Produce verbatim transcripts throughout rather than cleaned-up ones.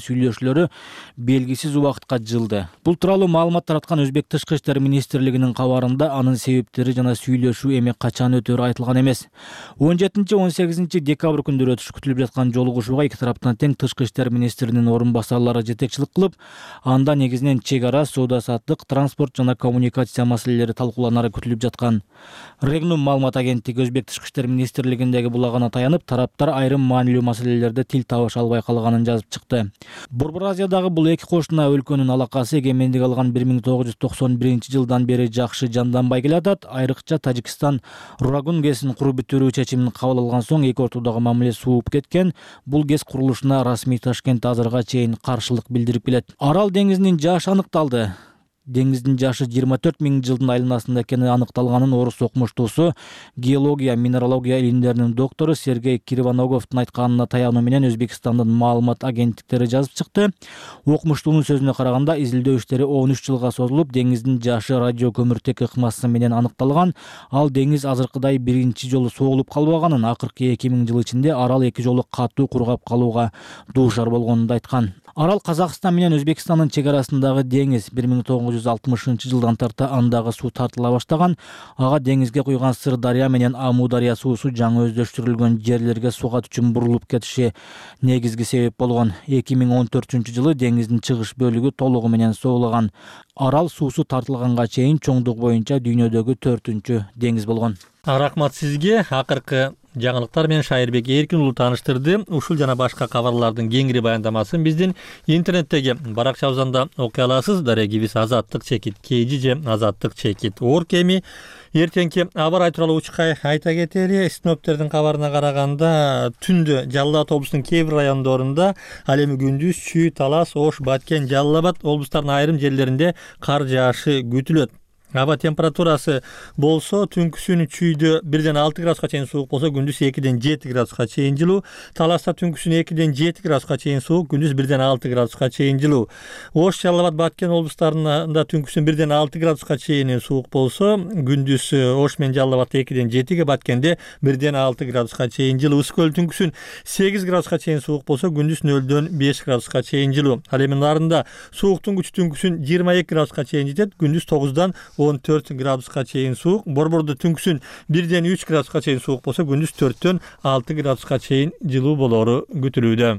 сүйлөшүүлөрү белгисиз убакытка жылды. Бул тууралуу маалымат тараткан Өзбек Тышкы иштер министрлигинин кабарында анын себептери жана сүйлөшүү эми качан өтөөрү айтылган эмес. он жетинчи он сегизинчи декабрь күндөрү өтүшү күтүлүп жаткан жолугушууга эки тараптан тең Тышкы иштер министринин орун басарлары жетекчилик кылып, анда негизинен чек ара, соода-саттык, транспорт жана коммуникация маселелери талкууланары күтүлүп жаткан. Регнум маалымат агенттиги Өзбек Тышкы иштер министрлигиндеги булагына таянып, тараптар айрым маанилүү маселелерде тил табыша албай калганын жазып чыкты. Борбор Азиядагы бул эки кошуна өлкөнүн алакасы эгемендик алган бир миң тогуз жүз токсон биринчи жылдан бери жакшы жанданбай келатат. Айрыкча Тажикстан Рурагун ГЭСин куруп бүтүрүү чечимин кабыл алган соң эки ортодогу мамиле сууп кеткен. Бул ГЭС курулушуна расмий Ташкент азырга чейин каршылык билдирип келет. Арал деңизинин жашы аныкталды. Деңиздин жашы жыйырма төрт миң жылдын айланасында экени аныкталганын орус окумуштуусу, геология, минералогия илимдеринин доктору Сергей Кривоноговдун айтканына таянуу менен Өзбекстандын маалымат агенттиктери жазып чыкты. Окумуштуунун сөзүнө караганда, изилдөө иштери он үч жылга созулуп, деңиздин жашы радио көмүртек ыкмасы менен аныкталган. Ал деңиз азыркыдай биринчи жолу согулуп калбаганын, акыркы эки миң жыл ичинде арал эки жолу катуу кургап калууга дуушар болгонун да айткан. Арал Казакстан менен Өзбекстандын чек арасындагы деңиз. бир миң тогуз жүз алтымышынчы жылдан тарта андагы суу тартыла баштаган. Ага деңизге куйган Сырдарья менен Амударья суусу жаңы өздөштүрүлгөн жерлерге сугат үчүн бурулуп кетиши негизги себеп болгон. эки миң он төртүнчү жылы деңиздин чыгыш бөлүгү толугу менен суулаган. Арал суусу тартылганга чейин чоңдук боюнча дүйнөдөгү төртүнчү деңиз болгон. Рахмат сизге. Акыркы жаңылыктар менен Шайырбек Эркин уулу тааныштырды. Ушул жана башка кабарлардын кеңири баяндамасын биздин интернеттеги баракчабыздан да окуй аласыз. Дарегибиз азаттык чекит kg же азаттык чекит орг. Эми эртеңки аба ырайы тууралуу учка айта кетели. Синоптиктердин кабарына караганда, түндө Жалал Абад облусунун кээ бир райондорунда, ал эми күндүз Чүй, Талас, Ош, Баткен, Жалал Абад облустарынын айрым жерлеринде кар жаашы күтүлөт. Аба температурасы болсо түнкүсүн Чүйдө бирден алты градуска чейин суук болсо, күндүз экиден жети градуска чейин жылуу. Таласта түнкүсүн экиден жети градуска чейин суук, күндүз бирден алты градуска чейин жылуу. Ош, Жалал Абад, Баткен облустарында түнкүсүн бирден алты градуска чейин суук болсо, күндүз Ош менен Жалал Абадта экиден жетиге, Баткенде бирден алты градуска чейин жылуу. Ысык көл түнкүсүн сегиз градуска чейин суук болсо, күндүз нөлдөн беш градуска чейин жылуу. Ал эми нарында сууктун күчү түнкүсүн жыйырма эки градуска чейин жетет, күндүз тогуздан он төрт градуска чейин суук. Борбордо түнкүсүн бирден үч градуска чейин суук болсо, күндүз төрттөн алты градуска чейин жылуу болору күтүлүүдө.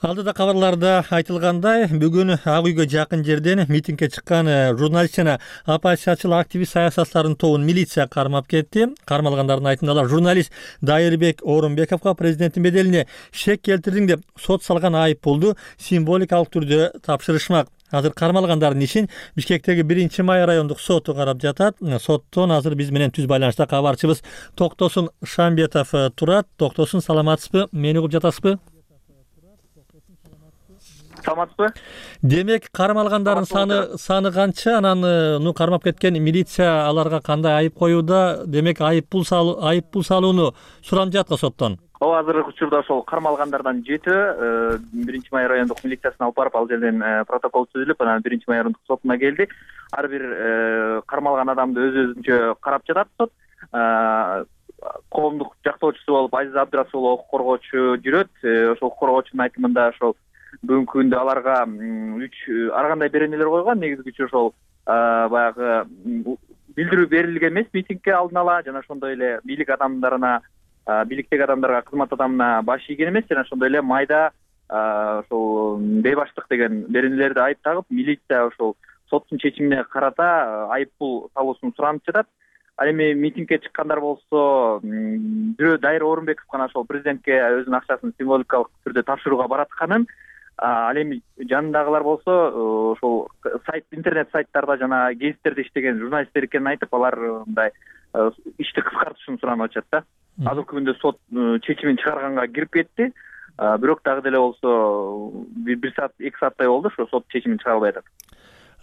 Алдыда кабарларда айтылгандай, бүгүн Ак үйгө жакын жерден митингге чыккан журналист жана оппозициячыл активист саясатчылардын тобун милиция кармап кетти. Кармалгандардын айтымында, алар журналист Дайырбек Орунбековго президенттин беделине шек келтирдиң деп сот салган айып пулду символикалык түрдө тапшырышмак. Азыр кармалгандардын ишин Бишкектеги биринчи май райондук соту карап жатат. Соттон азыр биз менен түз байланышта кабарчыбыз Токтосун Шамбетов турат. Токтосун, саламатсызбы? Мени угуп жатасызбы? Саламатсызбы? Демек, кармалгандардын саны саны канча? Анан ну кармап кеткен милиция аларга кандай айып коюуда? Демек, айып пул салуу айып пул салууну суранып жатка соттон. Ооба, азыркы учурда ошол кармалгандардан жетөө биринчи май райондук милициясына алып барып, ал жерден протокол түзүлүп, анан биринчи май райондук сотуна келди. Ар бир кармалган адамды өз өзүнчө карап жатат сот. Коомдук жактоочусу болуп Азиз Абдрасулов укук коргоочу жүрөт. Ошол укук коргоочунун айтымында ошол бүгүнкү күндө аларга үч ар кандай беренелер койгон. Негизги ошол баягы билдирүү берилген эмес митингге алдын ала, жана ошондой эле бийлик адамдарына, бийликтеги адамдарга, кызмат адамына баш ийген эмес, жана ошондой эле майда ошол бейбаштык деген беренелерди айып тагып, милиция ошол соттун чечимине карата айып пул салуусун суранып жатат. Ал эми митингге чыккандар болсо, бирөө Дайыр Орунбеков гана ошол президентке өзүнүн акчасын символикалык түрдө тапшырууга баратканын, ал эми жанындагылар болсо ошол сайт, интернет сайттарда жана гезиттерде иштеген журналисттер экенин айтып, алар мындай ишти кыскартышын суранып атышат да. Азыркы күндө сот чечимин чыгарганга кирип кетти. Бирок дагы деле болсо бир саат, эки сааттай болду, ошо сот чечимин чыгара албай атат.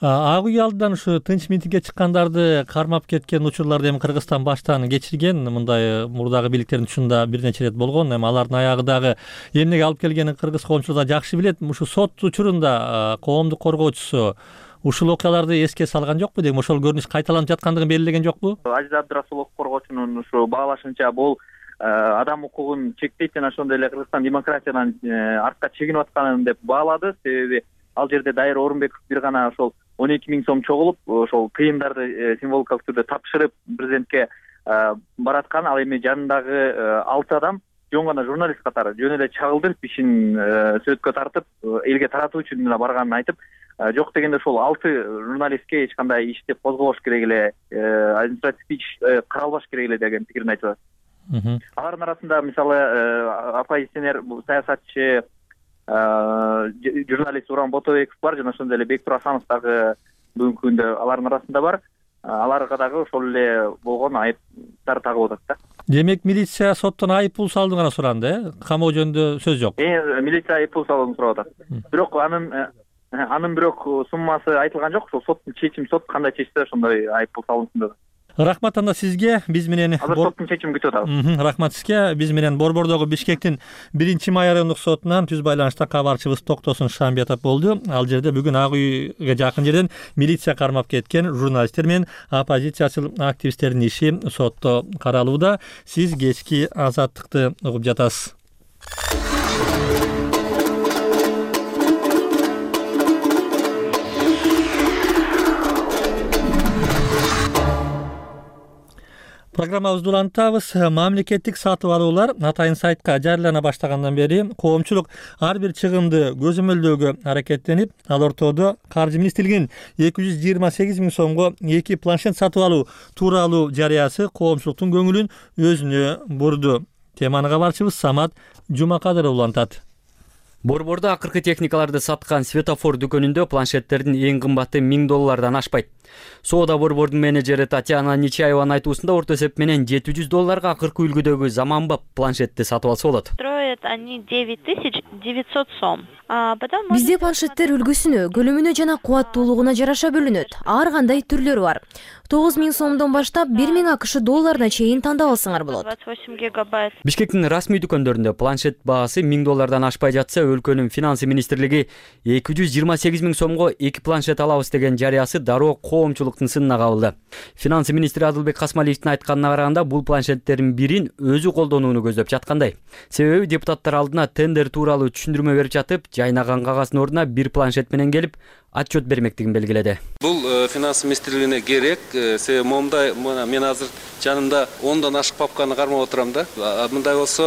Ак үй алдынан ушу тынч митингге чыккандарды кармап кеткен учурларды эми Кыргызстан баштан кечирген. Мындай мурдагы бийликтердин учурунда бир нече ирет болгон. Эми алардын аягы дагы эмнеге алып келгенин кыргыз коомчулугу жакшы билет. Ушу сот учурунда коомдук коргоочусу ушул окуяларды эске салган жокпу дейм, ошол көрүнүш кайталанып жаткандыгын белгилеген жокпу? Азиз Абдрасулов коргоочунун ушу баалашынча бул адам укугун чектейт жана ошондой эле Кыргызстан демократиядан артка чегинип атканын деп баалады. Себеби ал жерде Дайыр Орунбеков бир гана ошол он эки миң сом чогулуп ошол тыйымдарды символикалык түрдө тапшырып президентке бараткан. Ал эми жанындагы алты адам жөн гана журналист катары жөн эле чагылдырып ишин сөткө тартып элге таратуу үчүн эле барганын айтып, жок дегенде ошол алты журналистке эч кандай иш деп козголбош керек эле, административдик иш каралбаш керек эле деген пикирин айтып атат. Алардын арасында мисалы оппозиционер саясатчы журналист Уран Ботобеков бар жана ошондой эле Бектур Асанов дагы бүгүнкү күндө алардын арасында бар. Аларга дагы ошол эле болгон айыптар тагып атат да. Демек милиция соттон айып пул салууну гана суранды, э? Камоо жөнүндө сөз жок. Э, милиция айып пул салууну сурап атат. Бирок анын анын бирок суммасы айтылган жок. Ошол соттун чечими, сот кандай чечсе ошондой айып пул салынсын деп. Рахмат анда сизге. Биз менен азыр соттун чечимин күтүп атабыз. Рахмат сизге. Биз менен Борбордогу Бишкектин биринчи май райондук сотунан түз байланышта кабарчыбыз Токтосун Шамбиятов болду. Ал жерде бүгүн Ак үйгө жакын жерден милиция кармап кеткен журналисттер менен оппозициячыл активисттердин иши сотто каралууда. Сиз кечки Азаттыкты угуп жатасыз. Программабызды улантабыз. Мамлекеттик сатып алуулар атайын сайтка жарыялана баштагандан бери коомчулук ар бир чыгымды көзөмөлдөөгө аракеттенип, ал ортодо Каржы министрлигинин эки жүз жыйырма сегиз миң сомго эки планшет сатып алуу тууралуу жарыясы коомчулуктун көңүлүн өзүнө бурду. Теманы кабарчыбыз Самат Жумакадыров улантат. Борбордо акыркы техникаларды саткан светофор дүкөнүндө планшеттердин эң кымбаты миң доллардан ашпайт. Соода борбордун менеджери Татьяна Нечаеванын айтуусунда орто эсеп менен жети жүз долларга акыркы үлгүдөгү заманбап планшетти сатып алса болот. Стоят они девять тысяч девятьсот сом. Бизде планшеттер үлгүсүнө, көлөмүнө жана кубаттуулугуна жараша бөлүнөт. Ар кандай түрлөрү бар. тогуз миң сомдон баштап бир миң акш долларына чейин тандап алсаңар болот. двадцать восемь гигабайт. Бишкектин расмий дүкөндөрүндө планшет баасы миң доллардан ашпай жатса, өлкөнүн финансы министрлиги эки жүз жыйырма сегиз миң сомго эки планшет алабыз деген жарыясы дароо коомчулуктун сынына кабылды. Финансы министри Адылбек Касмалиевдин айтканына караганда, бул планшеттердин бирин өзү колдонууну көздөп жаткандай. Себеби депутаттар алдына тендер тууралуу түшүндүрмө берип жатып, жайнаган кагаздын ордуна бир планшет менен келип, отчет бермектигин белгиледи. Бул финансы министрлигине керек. Себеби момундай мен азыр жанымда ондон ашык папканы кармап отурам да. Мындай болсо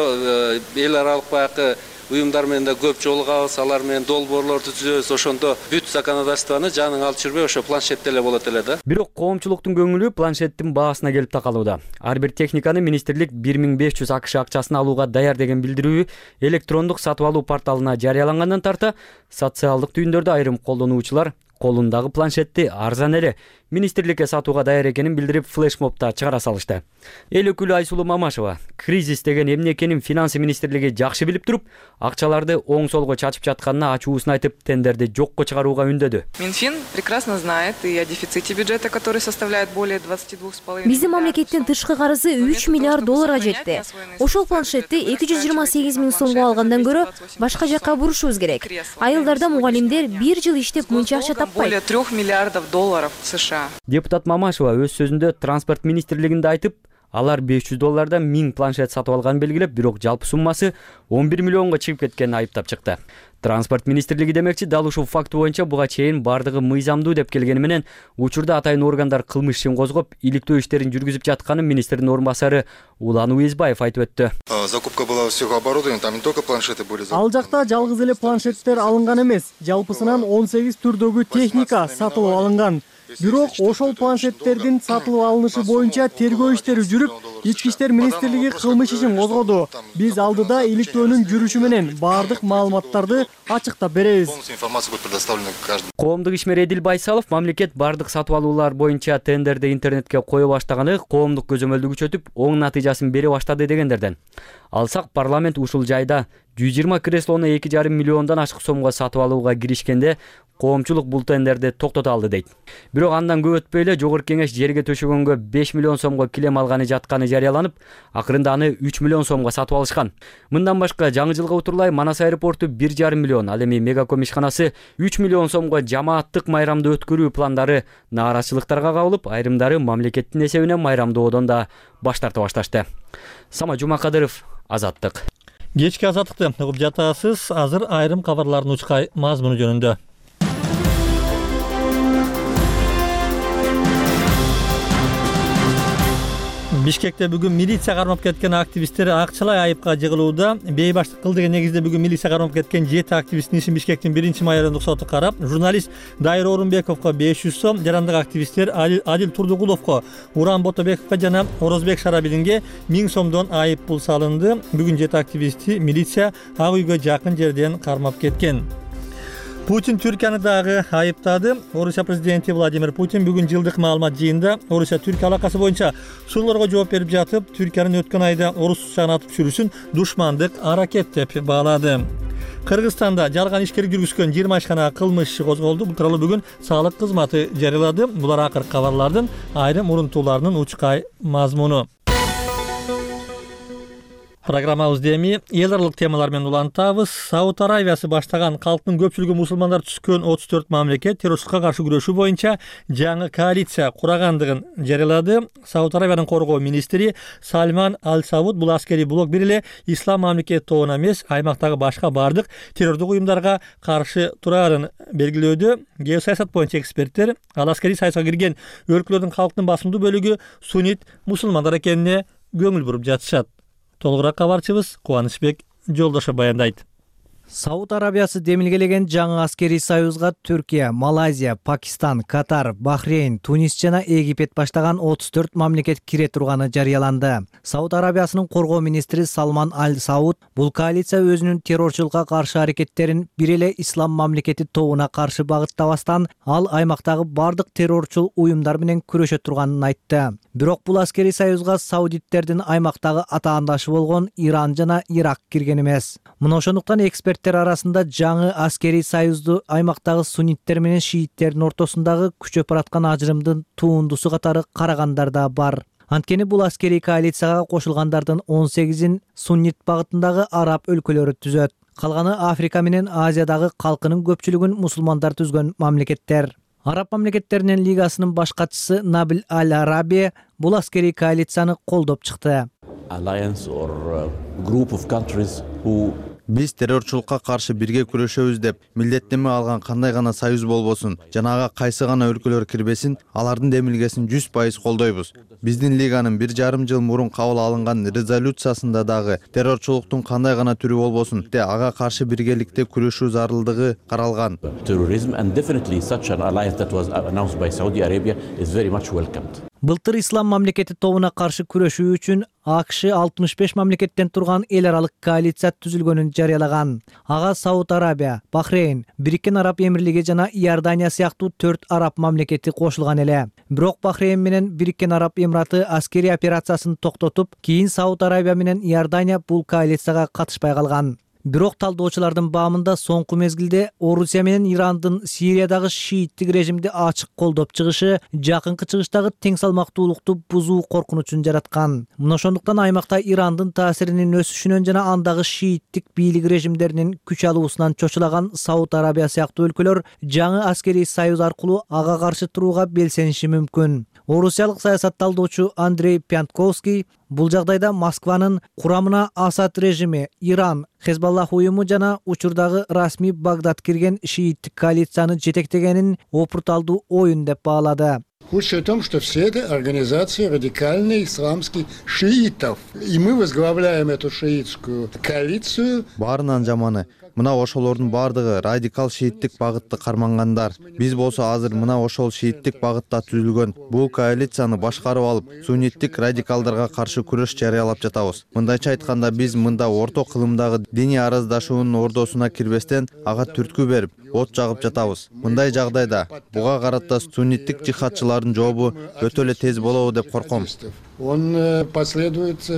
эл аралык баягы уюмдар менен да көп жолугабыз, алар менен долбоорлорду түзөбүз. Ошондо бүт законодательствону жаның алып жүрбөй ошо планшетте эле болот эле да. Бирок коомчулуктун көңүлү планшеттин баасына келип такалууда. Ар бир техниканы министрлик бир миң беш жүз акш акчасын алууга даяр деген билдирүү электрондук сатып алуу порталына жарыялангандан тарта, социалдык түйүндөрдө айрым колдонуучулар колундагы планшетти арзан эле министрликке сатууга даяр экенин билдирип, флешмобта чыгара салышты. Эл өкүлү Айсулуу Мамашева кризис деген эмне экенин финансы министрлиги жакшы билип туруп, акчаларды оң солго чачып жатканына ачуусун айтып, тендерди жокко чыгарууга үндөдү. Минфин прекрасно знает и о дефиците бюджета, который составляет более двадцати двух с половиной. Биздин мамлекеттин тышкы карызы үч миллиард долларга жетти. Ошол планшетти эки жүз жыйырма сегиз миң сомго алгандан көрө башка жакка бурушубуз керек. Айылдарда мугалимдер бир жыл иштеп мынча акча таппайт. Более трёх миллиардов долларов США. Депутат Мамашева өз сөзүндө транспорт министрлигинде айтып, алар беш жүз доллардан миң планшет сатып алганын белгилеп, бирок жалпы суммасы он бир миллионго чыгып кеткенин айыптап чыкты. Транспорт министрлиги демекчи, дал ушул факт боюнча буга чейин бардыгы мыйзамдуу деп келгени менен, учурда атайын органдар кылмыш ишин козгоп, иликтөө иштерин жүргүзүп жатканын министрдин орун басары Улан Уезбаев айтып өттү. Закупка была всего оборудования, там не только планшеты были закуплены. Ал жакта жалгыз эле планшеттер алынган эмес, жалпысынан он сегиз түрдөгү техника сатылып алынган. Бирок ошол планшеттердин сатылып алынышы боюнча тергөө иштери жүрүп, Ички иштер министрлиги кылмыш ишин козгоду. Биз алдыда иликтөөнүн жүрүшү менен баардык маалыматтарды ачыктап беребиз. Коомдук ишмер Эдил Байсалов мамлекет баардык сатып алуулар боюнча тендерди интернетке кое баштаганы коомдук көзөмөлдү күчөтүп, оң натыйжасын бере баштады дегендерден. Алсак парламент ушул жайда жүз жыйырма креслону эки жарым миллиондон ашык сомго сатып алууга киришкенде коомчулук бул тендерди токтото алды дейт. Бирок андан көп өтпөй эле Жогорку Кеңеш жерге төшөгөнгө беш миллион сомго килем алганы жатканы жарыяланып, акырында аны үч миллион сомго сатып алышкан. Мындан башка жаңы жылга утурлай Манас аэропорту бир жарым миллион, ал эми Мегаком ишканасы үч миллион сомго жамааттык майрамды өткөрүү пландары нааразычылыктарга кабылып, айрымдары мамлекеттин эсебинен майрамдоодон да баш тарта башташты. Сама Жумакадыров, Азаттык. Кечки Азаттыкты угуп жатасыз. Азыр айрым кабарлардын учкай мазмуну жөнүндө. Бишкекте бүгүн милиция кармап кеткен активисттер акчалай айыпка жыгылууда. Бейбаштык кыл деген негизде бүгүн милиция кармап кеткен жети активисттин ишин Бишкектин биринчи май райондук соту карап, журналист Дайыр Орунбековго беш жүз сом, жарандык активисттер Адил Турдугуловго, Уран Ботобековго жана Орозбек Шарабилинге миң сомдон айып пул салынды. Бүгүн жети активистти милиция ак үйгө жакын жерден кармап кеткен. Путин Түркияны дагы айыптады. Орусия президенти Владимир Путин бүгүн жылдык маалымат жыйында Орусия-Түркия алакасы боюнча суроолорго жооп берип жатып, Түркиянын өткөн айда орус учагын атып түшүрүүсүн душмандык аракет деп баалады. Кыргызстанда жалган ишкер жүргүзгөн жыйырма ишкана кылмыш иши козголду. Бул тууралуу бүгүн салык кызматы жарыялады. Булар акыркы кабарлардын айрым урунтууларынын учкай мазмуну. Программабызды эми эл аралык темалар менен улантабыз. Сауд Арабиясы баштаган калктын көпчүлүгү мусулмандар түзгөн отуз төрт мамлекет террорчулукка каршы күрөшүү боюнча жаңы коалиция курагандыгын жарыялады. Сауд Арабиянын коргоо министри Сальман Аль-Сауд бул аскерий блок бир эле ислам мамлекет тобуна эмес, аймактагы башка бардык террордук уюмдарга каршы турарын белгилөөдө. Геосаясат боюнча эксперттер ал аскерий саясатка кирген өлкөлөрдүн калктын басымдуу бөлүгү суннит мусулмандар экенине көңүл буруп жатышат. Толугураак кабарчыбыз Кубанычбек Жолдошо баяндайт. Сауд Арабиясы демилгелеген жаңы аскерий союзга Түркия, Малайзия, Пакистан, Катар, Бахрейн, Тунис жана Египет баштаган отуз төрт мамлекет кире турганы жарыяланды. Сауд Арабиясынын коргоо министри Салман Аль-Сауд бул коалиция өзүнүн террорчулукка каршы аракеттерин бир эле ислам мамлекети тобуна каршы багыттабастан, ал аймактагы бардык террорчул уюмдар менен күрөшө турганын айтты. Бирок бул аскерий союзга саудиттердин аймактагы атаандашы болгон Иран жана Ирак кирген эмес. Мына ошондуктан эксперт арасында жаңы аскерий союзду аймактагы сунниттер менен шииттердин ортосундагы күчөп бараткан ажырымдын туундусу катары карагандар да бар. Анткени бул аскерий коалицияга кошулгандардын он сегизин суннит багытындагы араб өлкөлөрү түзөт. Калганы Африка менен Азиядагы калкынын көпчүлүгүн мусулмандар түзгөн мамлекеттер. Араб мамлекеттеринин лигасынын баш катчысы Набил Аль-Араби бул аскерий коалицияны колдоп чыкты. Биз террорчулукка каршы бирге күрөшөбүз деп милдеттенме алган кандай гана союз болбосун, жана ага кайсы гана өлкөлөр кирбесин, алардын демилгесин жүз пайыз колдойбуз. Биздин лиганын бир жарым жыл мурун кабыл алынган резолюциясында дагы террорчулуктун кандай гана түрү болбосун, те ага каршы биргеликте күрөшүү зарылдыгы каралган. Былтыр ислам мамлекети тобуна каршы күрөшүү үчүн АКШ алтымыш беш мамлекеттен турган эл аралык коалиция түзүлгөнүн жарыялаган. Ага Сауд Арабия, Бахрейн, Бириккен Араб Эмирлиги жана Иордания сыяктуу төрт араб мамлекети кошулган эле. Бирок Бахрейн менен Бириккен Араб Эмираты аскерий операциясын токтотуп, кийин Сауд Арабия менен Иордания бул коалицияга катышпай калган. Бирок талдоочулардын баамында соңку мезгилде Орусия менен Ирандын Сириядагы шииттик режимди ачык колдоп чыгышы жакынкы чыгыштагы тең салмактуулукту бузуу коркунучун жараткан. Мына ошондуктан аймакта Ирандын таасиринин өсүшүнөн жана андагы шииттик бийлик режимдеринин күч алуусунан чочулаган Сауд Арабия сыяктуу өлкөлөр жаңы аскерий союз аркылуу ага каршы турууга белсениши мүмкүн. Орусиялык саясатталдоочу Андрей Пянтковский бул жагдайда Москванын курамына Асад режими, Иран, Хезбаллах уюму жана учурдагы расмий Багдад кирген шииттик коалицияны жетектегенин опурталдуу оюн деп баалады. Худшее в том, что все это организации радикальных исламских шиитов. И мы возглавляем эту шиитскую коалицию. Баарынан жаманы. Мына ошолордун бардыгы радикал шииттик багытты кармангандар. Биз болсо азыр мына ошол шииттик багытта түзүлгөн бул коалицияны башкарып алып, сунниттик радикалдарга каршы күрөш жарыялап жатабыз. Мындайча айтканда, биз мында орто кылымдагы диний араздашуунун ордосуна кирбестен ага түрткү берип, от жагып жатабыз. Мындай жагдайда буга карата сунниттик жихадчылардын жообу өтө эле тез болобу деп корком. он последует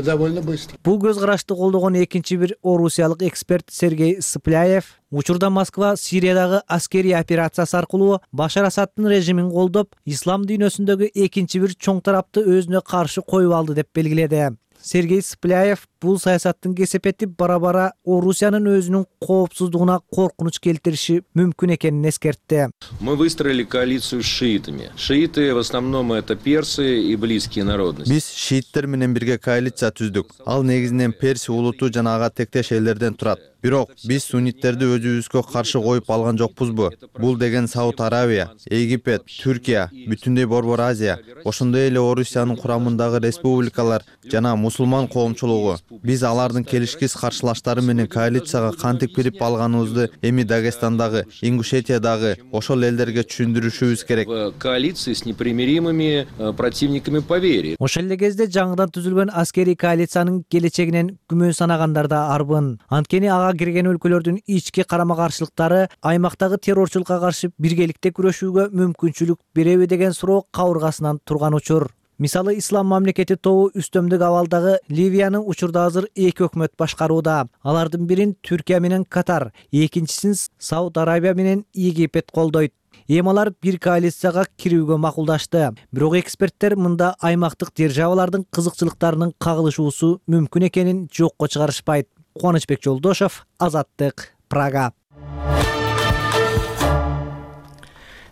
довольно быстро. Бул көз карашты колдогон экинчи бир орусиялык эксперт Сергей Сыпляев учурда Москва Сириядагы аскерий операциясы аркылуу Башар Асаддын режимин колдоп, ислам дүйнөсүндөгү экинчи бир чоң тарапты өзүнө каршы коюп алды деп белгиледи. Сергей Сыпляев бул саясаттын кесепети бара-бара Орусиянын өзүнүн коопсуздугуна коркунуч келтириши мүмкүн экенин эскертти. Мы выстроили коалицию с шиитами. Шииты в основном это персы и близкие народности. Биз шииттер менен бирге коалиция түздүк. Ал негизинен Перси улуту жана ага тектеш элдерден турат. Бирок биз сунниттерди өзүбүзгө каршы коюп алган жокпузбу? Бул деген Сауд Аравия, Египет, Түркия, бүтүндөй Борбор Азия, ошондой эле Орусиянын курамындагы республикалар жана мусулман коомчулугу. Биз алардын келишкис каршылаштары менен коалицияга кантип кирип алганыбызды эми Дагестандагы, Ингушетиядагы ошол элдерге түшүндүрүшүбүз керек. В коалиции с непримиримыми противниками по вере. Ошол эле кезде жаңыдан түзүлгөн аскерий коалициянын келечегинен күмөн санагандар да арбын. Анткени ага кирген өлкөлөрдүн ички карама-каршылыктары аймактагы террорчулукка каршы биргеликте күрөшүүгө мүмкүнчүлүк береби деген суроо кабыргасынан турган учур. Мисалы, Ислам мамлекети тобу үстөмдүк абалдагы Ливияны учурда азыр эки өкмөт башкарууда. Алардын бирин Түркия менен Катар, экинчисин Сауд Арабия менен Египет колдойт. Эми алар бир коалицияга кирүүгө макулдашты. Бирок эксперттер мында аймактык державалардын кызыкчылыктарынын кагылышуусу мүмкүн экенин жокко чыгарышпайт. Кубанычбек Жолдошов, Азаттык, Прага.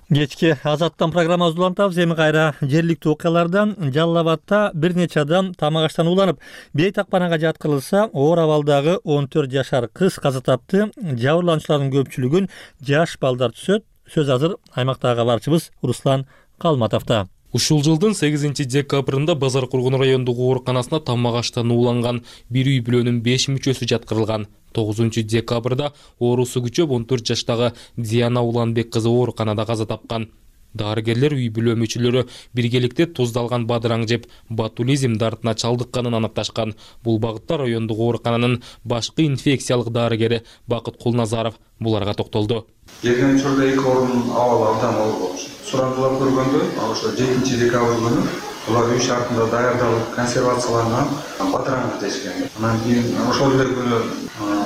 Кечки Азаттан программабызды улантабыз. Эми кайра жергиликтүү окуялардан. Жалал Абадта бир нече адам тамак аштан ууланып, бейтакпанага жаткырылса, оор абалдагы он төрт жашар кыз каза тапты. Жабырлануучулардын көпчүлүгүн жаш балдар түзөт. Сөз азыр аймактагы кабарчыбыз Руслан Калматовто. Ушул жылдын сегизинчи декабрында Базар Кургун райондук ооруканасына тамак аштан ууланган бир үй бүлөнүн беш мүчөсү жаткырылган. тогузунчу декабрда оорусу күчөп он төрт жаштагы Диана Уланбек кызы ооруканада каза тапкан. Дарыгерлер үй бүлө мүчөлөрү биргеликте туздалган бадыраң жеп ботулизм дартына чалдыкканын аныкташкан. Бул багытта райондук оорукананын башкы инфекциялык дарыгери Бакыт Кулназаров буларга токтолду. Келген учурда эки орун абалы абдан оор болчу. Сурандылар көргөндө, ошо жетинчи декабрь күнү булар үй шартында даярдалып консервацияланган бадыраң жетишкен. Анан кийин ошол эле күнү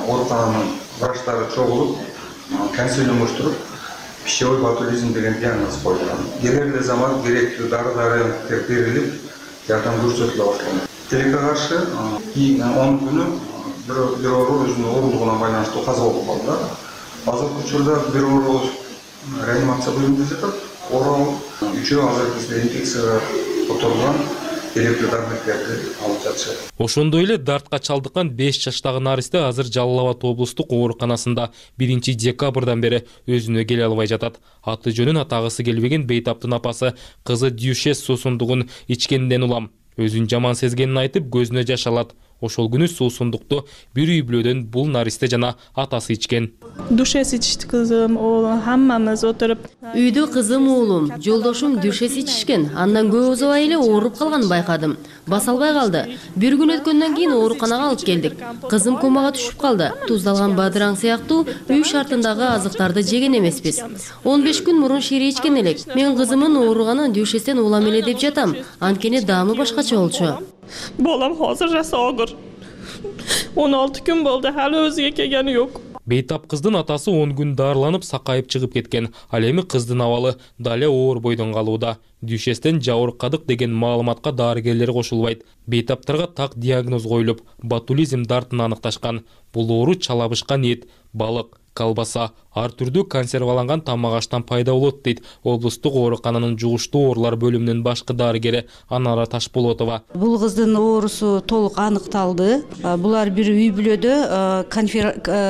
оорукананын врачтары чогулуп, консилиум уштуруп, пищевой ботулизм деген диагноз коюлган. Керек эле замат керектүү дары-даректер берилип, жардам көрсөтүлө баштаган. Тилекке каршы кийин он күнү бир оору өзүнүн оорундугуна байланыштуу каза болуп калды. Азыркы учурда бир оору реанимация бөлүмүндө жатат. Оору үчөө азыр бизде инфекцияга которулган. Ошондой эле дартка чалдыккан беш жаштагы наристе азыр Жалал Абад облустук ооруканасында биринчи декабрдан бери өзүнө келе албай жатат. Аты жөнүн атагысы келбеген бейтаптын апасы кызы Дюшес суусундугун ичкенден улам. Өзүн жаман сезгенин айтып, көзүнө жаш алат. Ошол күнү суусундукту бир үй бүлөдөн бул наристе жана атасы ичкен. Дюшес ичти кызым, оолум, хаммамыз отуруп. Үйдө кызым, уулум, жолдошум Дюшес ичишкен. Андан көп узабай эле ооруп калганын байкадым. Баса албай калды. Бир күн өткөндөн кийин ооруканага алып келдик. Кызым комага түшүп калды. Туздалган бадыраң сыяктуу үй шартындагы азыктарды жеген эмеспиз. он беш күн мурун шире ичкен элек. Мен кызымын ооруганын Дюшестен улам эле деп жатам. Анткени даамы башкача болчу. Балам азыр жаса огур. он алты күн болду, алы өзүгө келгени жок. Бейтап кыздын атасы он күн дарыланып сакайып чыгып кеткен. Ал эми кыздын абалы дале оор бойдон калууда. Дюшестен жабыркадык деген маалыматка дарыгерлер кошулбайт. Бейтаптарга так диагноз коюлуп, ботулизм дартын аныкташкан. Бул оору чалабышкан эт, балык, колбаса, ар түрдүү консерваланган тамак аштан пайда болот дейт облустук оорукананын жугуштуу оорулар бөлүмүнүн башкы дарыгери Анара Ташболотова. Бул кыздын оорусу толук аныкталды. Булар бир үй бүлөдө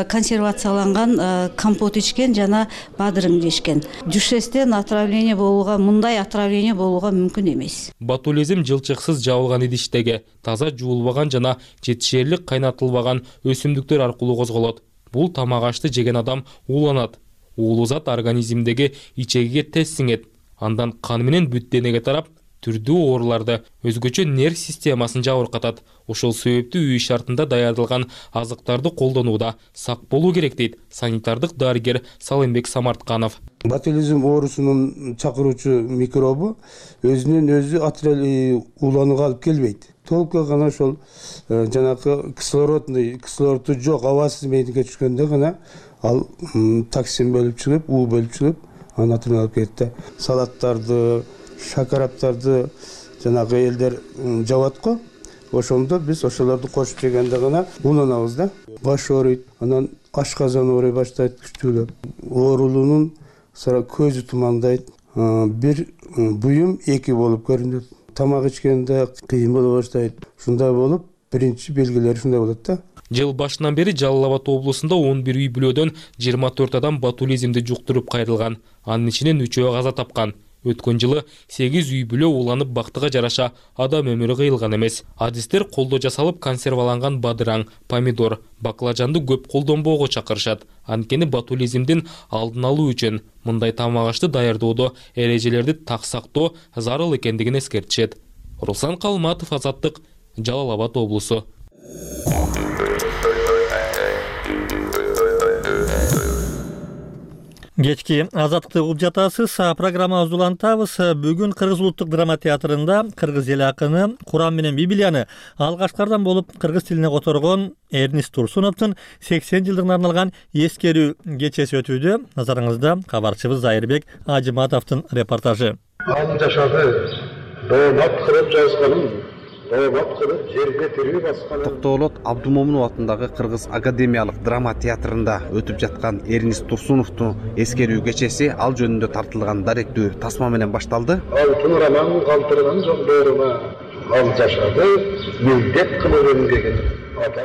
консервацияланган компот ичкен жана бадырың жешкен. Дюшестен отравление болууга, мындай отравление болууга мүмкүн эмес. Ботулизм жылчыксыз жабылган идиштеги, таза жуулбаган жана жетишээрлик кайнатылбаган өсүмдүктөр аркылуу козголот. Бул тамак ашты жеген адам ууланат. Уулуу зат организмдеги ичегиге тез сиңет. Андан кан менен бүт денеге тарап, түрдүү ооруларды, өзгөчө нерв системасын жабыркатат. Ошол себептүү үй шартында даярдалган азыктарды колдонууда сак болуу керек дейт санитардык дарыгер Салымбек Самартканов. Ботулизм оорусунун чакыруучу микробу өзүнөн өзү уланууга алып келбейт. Толук гана ошол жанакы кислородный кислороду жок абасыз мейдинге түшкөндө гана ал токсин бөлүп чыгып, уу бөлүп чыгып, анын атынан алып келет да. Салаттарды, шакараптарды жанагы элдер жабат го. Ошондо биз ошолорду кошуп жегенде гана уланабыз да. Баш ооруйт, анан ашказан оорой баштайт күчтүүлөп. Оорулуунун көзү тумандайт, бир буюм эки болуп көрүнөт. Тамак ичкенде кыйын боло баштайт. Ушундай болуп, биринчи белгилери ушундай болот да. Жыл башынан бери Жалал Абад облусунда он бир үй бүлөдөн жыйырма төрт адам ботулизмди жуктуруп кайрылган. Анын ичинен үчөө каза тапкан. Өткөн жылы сегиз үй бүлө уланып бактыга жараша адам өмүрү кыйылган эмес. Адистер колдо жасалып консерваланган бадыраң, помидор, баклажанды көп колдонбоого чакырышат. Анткени ботулизмдин алдын алуу үчүн мындай тамак ашты даярдоодо эрежелерди так сактоо зарыл экендигин эскертишет. Руслан Калматов, Азаттык, Жалал Абад облусу. Кечки Азаттыкты угуп жатасыз. Программабызды улантабыз. Бүгүн Кыргыз улуттук драма театрында кыргыз эл акыны Куран менен Библияны алгачкардан болуп кыргыз тилине которгон Эрнист Турсуновдун сексен жылдыгына арналган эскерүү кечеси өтүүдө. Назарыңызда кабарчыбыз Зайырбек Ажыматовдун репортажы. Ал жашады, доомат кылып жазганын жерге тирүү баскан. Токтоолот Абдумомунов атындагы Кыргыз академиялык драма театрында өтүп жаткан Эрнист Турсуновдун эскерүү кечеси ал жөнүндө тартылган даректүү тасма менен башталды. Алтын раман калтырган жондоруна ал жашады, милдет кылып эмгеген.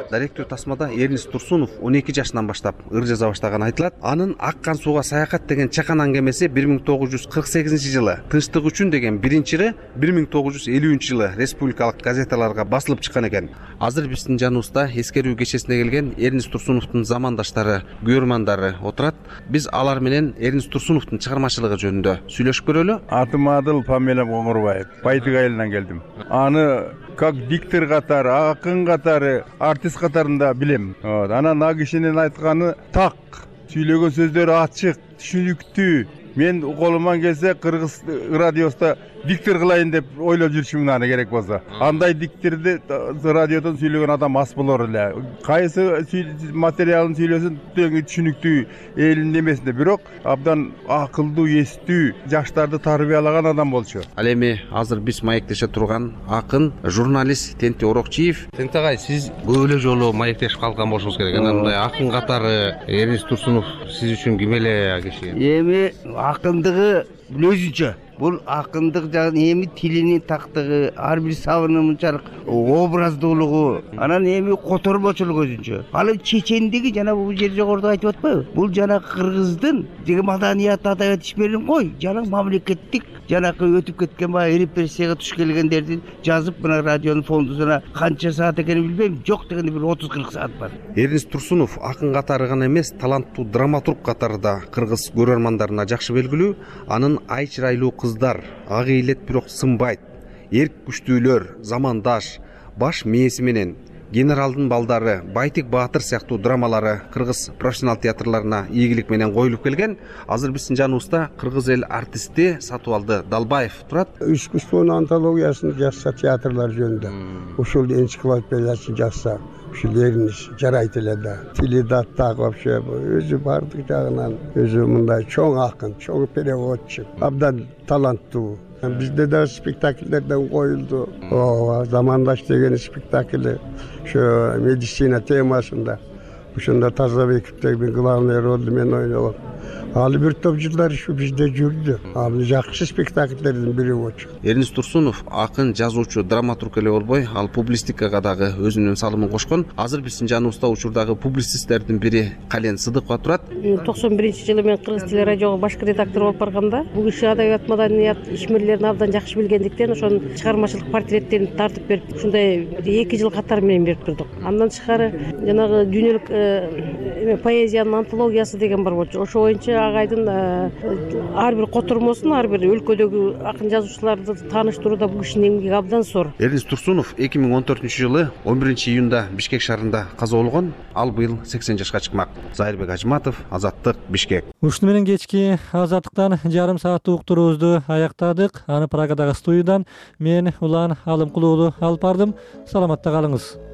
Даректүү тасмада Эрнист Турсунов он эки жашынан баштап ыр жаза баштаганы айтылат. Анын Аккан сууга саякат деген чакан аңгемеси бир миң тогуз жүз кырк сегизинчи жылы, Тынчтык үчүн деген биринчи ыры бир миң тогуз жүз элүүнчү жылы республикалык газеталарга басылып чыккан экен. Азыр биздин жаныбызда эскерүү кечесине келген Эрнист Турсуновдун замандаштары, күйөрмандары отурат. Биз алар менен Эрнист Турсуновдун чыгармачылыгы жөнүндө сүйлөшүп көрөлү. Атым Адыл, фамилиям Оңурбаев. Байтык айылынан келдим. Аны как диктор катары, акын катары, артист катарында билем. Анан а кишинин айтканы так, сүйлөгөн сөздөрү ачык, түшүнүктүү. Мен колуман келсе Кыргыз радиосунда диктор кылайын деп ойлоп жүрүшүм аны керек болсо. Андай дикторду радиодон сүйлөгөн адам аз болор эле. Кайсы материалын сүйлөсүн түшүнүктүү элдин немесинде, бирок абдан акылдуу, эстүү, жаштарды тарбиялаган адам болчу. Ал эми азыр биз маектеше турган акын, журналист Тенти Орокчиев. Тенти агай, сиз көп эле жолу маектешип калган болушуңуз керек. Анан мындай акын катары Эрнист Турсунов сиз үчүн ким эле киши? Эми акындыгы өзүнчө. Бул акындык жагын эми тилинин тактыгы, ар бир сабыны мынчалык образдуулугу, анан эми котормочулук өзүнчө. Ал чечендиги жана бул жер жогоруда айтып атпайбы? Бул жана кыргыздын деге маданият адабият ишмерин кой, жана мамлекеттик жанакы өтүп кеткен баягы репрессияга туш келгендердин жазып мына радионун фондусуна канча саат экенин билбейм, жок дегенде бир отуз кырк саат бар. Эрнист Турсунов акын катары гана эмес, таланттуу драматург катары да кыргыз көрөрмандарына жакшы белгилүү. Анын ай чырайлуу кыздар, ак ыйлет бирок сынбайт, эрк күчтүүлөр, замандаш, баш мээси менен, генералдын балдары, Байтик Баатыр сыяктуу драмалары кыргыз профессионал театрларына ийгилик менен коюлуп келген. Азыр биздин жаныбызда кыргыз эл артисти Сатыбалды Далбаев турат. Искусствонун антологиясын жазса театрлар жөнүндө, ушул энциклопедиясын жазса, ушул Эрнист жарайт эле да. Тили да так вообще өзү бардык жагынан өзү мындай чоң акын, чоң переводчу, абдан таланттуу. Бизде да спектакльдерден коюлду. Ооба, замандаш деген спектакль ошо медицина темасында. Ошондо Тазабековдеги главный ролду мен ойногом. Ал бир топ жылдар ушу бизде жүрдү. Ал жакшы спектакльдердин бири болчу. Эрнист Турсунов акын, жазуучу, драматург эле болбой, ал публистикага дагы өзүнүн салымын кошкон. Азыр биздин жаныбызда учурдагы публицисттердин бири Кален Сыдыкова турат. токсон биринчи жылы мен Кыргыз телерадиого башкы редактор болуп барганда, бул киши адабият, маданият ишмерлерин абдан жакшы билгендиктен ошонун чыгармачылык портреттерин тартып берип, ушундай эки жыл катар менен берип турдук. Андан тышкары жанагы дүйнөлүк поэзиянын антологиясы деген бар болчу. Ошо боюнча агайдын ар бир котормосун ар бир өлкөдөгү акын жазуучуларды тааныштырууда бул кишинин эмгеги абдан зор. Эрнис Турсунов эки миң он төртүнчү жылы он биринчи июнда Бишкек шаарында каза болгон. Ал быйыл сексен жашка чыкмак. Зайырбек Ажматов, Азаттык, Бишкек. Ушуну менен кечки Азаттыктан жарым сааттык уктуруубузду аяктадык. Аны Праgadагы студиядан мен Улан Алымкулуулу алып бардым. Саламатта калыңыз.